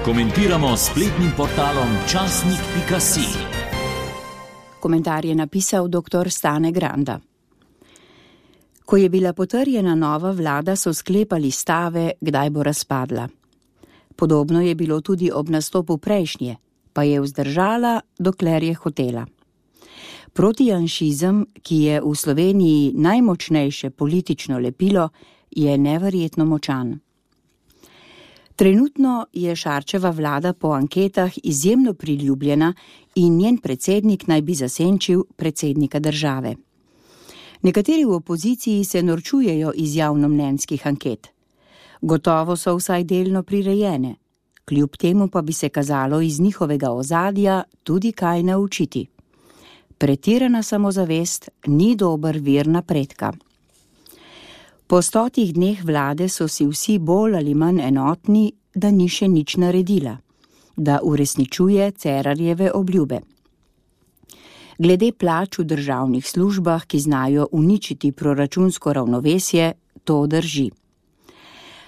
Komentiramo s spletnim portalom časnik.si. Komentar je napisal dr. Stane Granda. Ko je bila potrjena nova vlada, so sklepali stave, kdaj bo razpadla. Podobno je bilo tudi ob nastopu prejšnje, pa je vzdržala, dokler je hotela. Protijanšizem, ki je v Sloveniji najmočnejše politično lepilo, je neverjetno močan. Trenutno je Šarčeva vlada po anketah izjemno priljubljena in njen predsednik naj bi zasenčil predsednika države. Nekateri v opoziciji se norčujejo iz javnomnenjskih anket. Gotovo so vsaj delno prirejene, kljub temu pa bi se kazalo iz njihovega ozadja tudi kaj naučiti. Pretirana samozavest ni dober vir napredka. Po 100 dneh vlade so si vsi bolj ali manj enotni, da ni še nič naredila, da uresničuje Cerarjeve obljube. Glede plač v državnih službah, ki znajo uničiti proračunsko ravnovesje, to drži.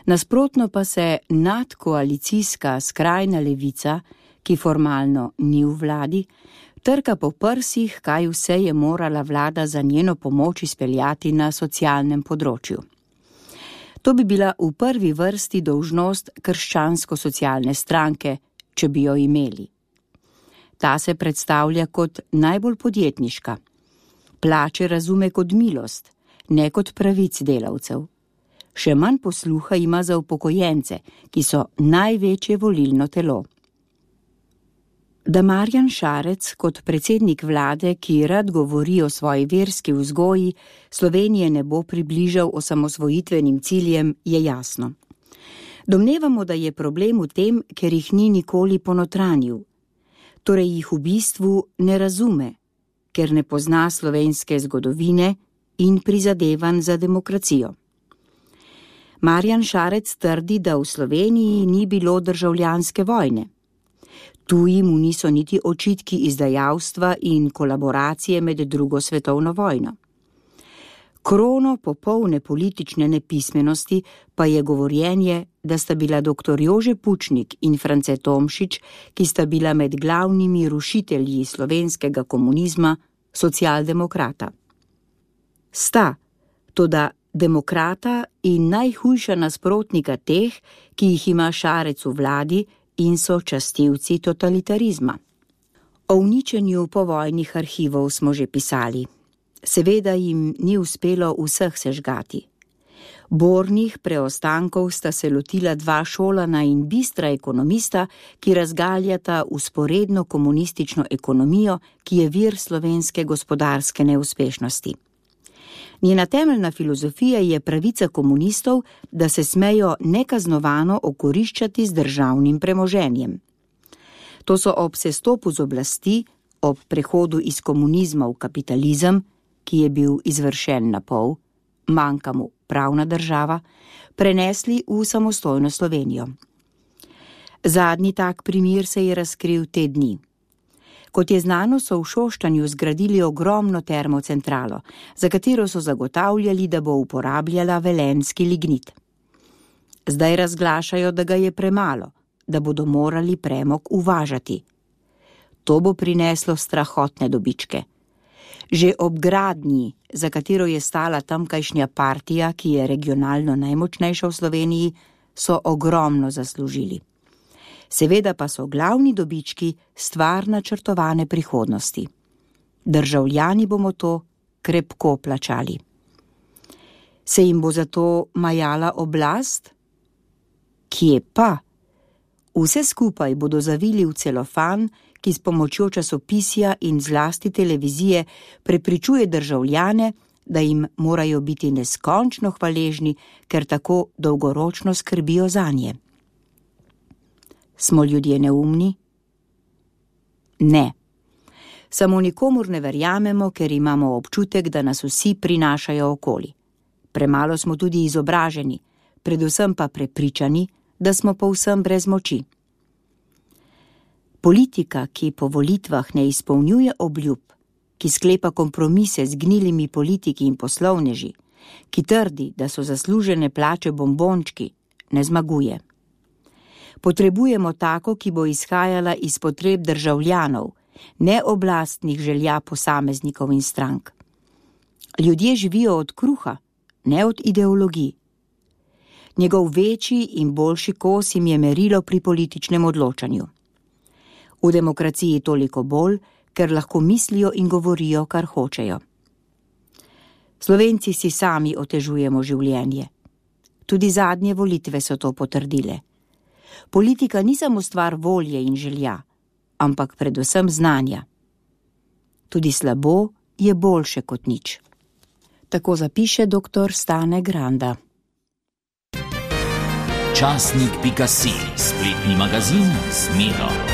Nasprotno pa se nadkoalicijska skrajna levica, ki formalno ni v vladi, trka po prsih, kaj vse je morala vlada za njeno pomoč izpeljati na socialnem področju. To bi bila v prvi vrsti dolžnost krščansko-socialne stranke, če bi jo imeli. Ta se predstavlja kot najbolj podjetniška. Plače razume kot milost, ne kot pravic delavcev. Še manj posluha ima za upokojence, ki so največje volilno telo. Da Marjan Šarec kot predsednik vlade, ki rad govori o svoji verski vzgoji, Slovenije ne bo približal osamosvojitvenim ciljem, je jasno. Domnevamo, da je problem v tem, ker jih ni nikoli ponotranil. Torej jih v bistvu ne razume, ker ne pozna slovenske zgodovine in prizadevanj za demokracijo. Marjan Šarec trdi, da v Sloveniji ni bilo državljanske vojne. Tuji mu niso niti očitki izdajavstva in kolaboracije med drugo svetovno vojno. Krono popolne politične nepismenosti pa je govorjenje, da sta bila dr. Jože Pučnik in France Tomšič, ki sta bila med glavnimi rušitelji slovenskega komunizma, socialdemokrata. Sta, toda demokrata in najhujša nasprotnika teh, ki jih ima Šarec v vladi, in so častilci totalitarizma. O uničenju povojnih arhivov smo že pisali. Seveda jim ni uspelo vseh sežgati. Bornih preostankov sta se lotila 2 šolana in bistra ekonomista, ki razgaljata vzporedno komunistično ekonomijo, ki je vir slovenske gospodarske neuspešnosti. Njena temeljna filozofija je pravica komunistov, da se smejo nekaznovano okoriščati z državnim premoženjem. To so ob sestopu z oblasti, ob prehodu iz komunizma v kapitalizem, ki je bil izvršen na pol, manjka mu pravna država, prenesli v samostojno Slovenijo. Zadnji tak primer se je razkril te dni. Kot je znano, so v Šoštanju zgradili ogromno termocentralo, za katero so zagotavljali, da bo uporabljala velenjski lignit. Zdaj razglašajo, da ga je premalo, da bodo morali premog uvažati. To bo prineslo strahotne dobičke. Že ob gradnji, za katero je stala tamkajšnja partija, ki je regionalno najmočnejša v Sloveniji, so ogromno zaslužili. Seveda pa so glavni dobički stvar načrtovane prihodnosti. Državljani bomo to krepko plačali. Se jim bo zato majala oblast? Kje pa? Vse skupaj bodo zavili v celofan, ki s pomočjo časopisja in zlasti televizije prepričuje državljane, da jim morajo biti neskončno hvaležni, ker tako dolgoročno skrbijo zanje. Smo ljudje neumni? Ne. Samo nikomur ne verjamemo, ker imamo občutek, da nas vsi prinašajo okoli. Premalo smo tudi izobraženi, predvsem pa prepričani, da smo povsem brez moči. Politika, ki po volitvah ne izpolnjuje obljub, ki sklepa kompromise z gnilimi politiki in poslovneži, ki trdi, da so zaslužene plače bombončki, ne zmaguje. Potrebujemo tako, ki bo izhajala iz potreb državljanov, ne oblastnih želja posameznikov in strank. Ljudje živijo od kruha, ne od ideologij. Njegov večji in boljši kos jim je merilo pri političnem odločanju. V demokraciji toliko bolj, ker lahko mislijo in govorijo, kar hočejo. Slovenci si sami otežujemo življenje. Tudi zadnje volitve so to potrdile. Politika ni samo stvar volje in želja, ampak predvsem znanja. Tudi slabo je boljše kot nič. Tako zapiše dr. Stane Granda. Časnik.si, spletni magazin z Miro.